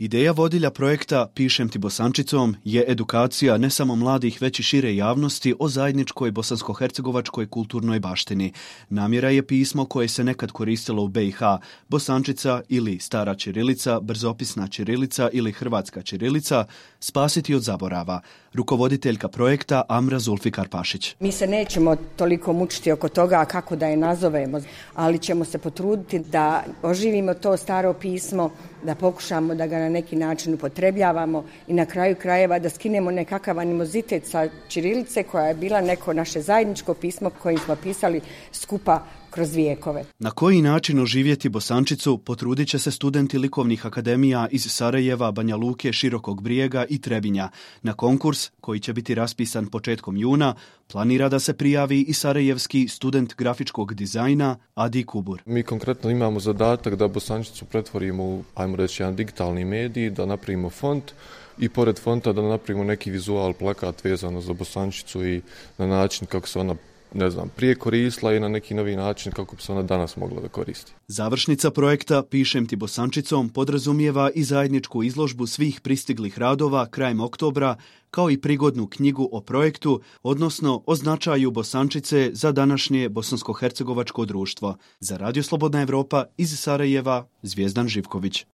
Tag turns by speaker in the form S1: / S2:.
S1: Ideja vodilja projekta Pišem ti Bosančicom je edukacija ne samo mladih već i šire javnosti o zajedničkoj bosansko-hercegovačkoj kulturnoj baštini. Namjera je pismo koje se nekad koristilo u BiH, bosančica ili stara ćirilica, brzopisna ćirilica ili hrvatska ćirilica, spasiti od zaborava. Rukovoditeljka projekta Amra Zulfikar Pašić.
S2: Mi se nećemo toliko mučiti oko toga kako da je nazovemo, ali ćemo se potruditi da oživimo to staro pismo, da pokušamo da ga na neki način upotrebljavamo i na kraju krajeva da skinemo nekakav animozitet sa ćirilice koja je bila neko naše zajedničko pismo kojim smo pisali skupa kroz vijekove.
S1: Na koji način oživjeti Bosančicu potrudit će se studenti likovnih akademija iz Sarajeva, Banja Luke, Širokog Brijega i Trebinja. Na konkurs, koji će biti raspisan početkom juna, planira da se prijavi i sarajevski student grafičkog dizajna Adi Kubur.
S3: Mi konkretno imamo zadatak da Bosančicu pretvorimo u, ajmo reći, jedan digitalni medij, da napravimo font i pored fonta da napravimo neki vizual, plakat vezano za Bosančicu i na način kako se ona prije koristila i na neki novi način kako bi se ona danas mogla da koristi.
S1: Završnica projekta Pišem ti Bosančicom podrazumijeva i zajedničku izložbu svih pristiglih radova krajem oktobra, kao i prigodnu knjigu o projektu, odnosno o značaju Bosančice za današnje bosansko-hercegovačko društvo. Za Radio Slobodna Evropa iz Sarajeva, Zvijezdan Živković.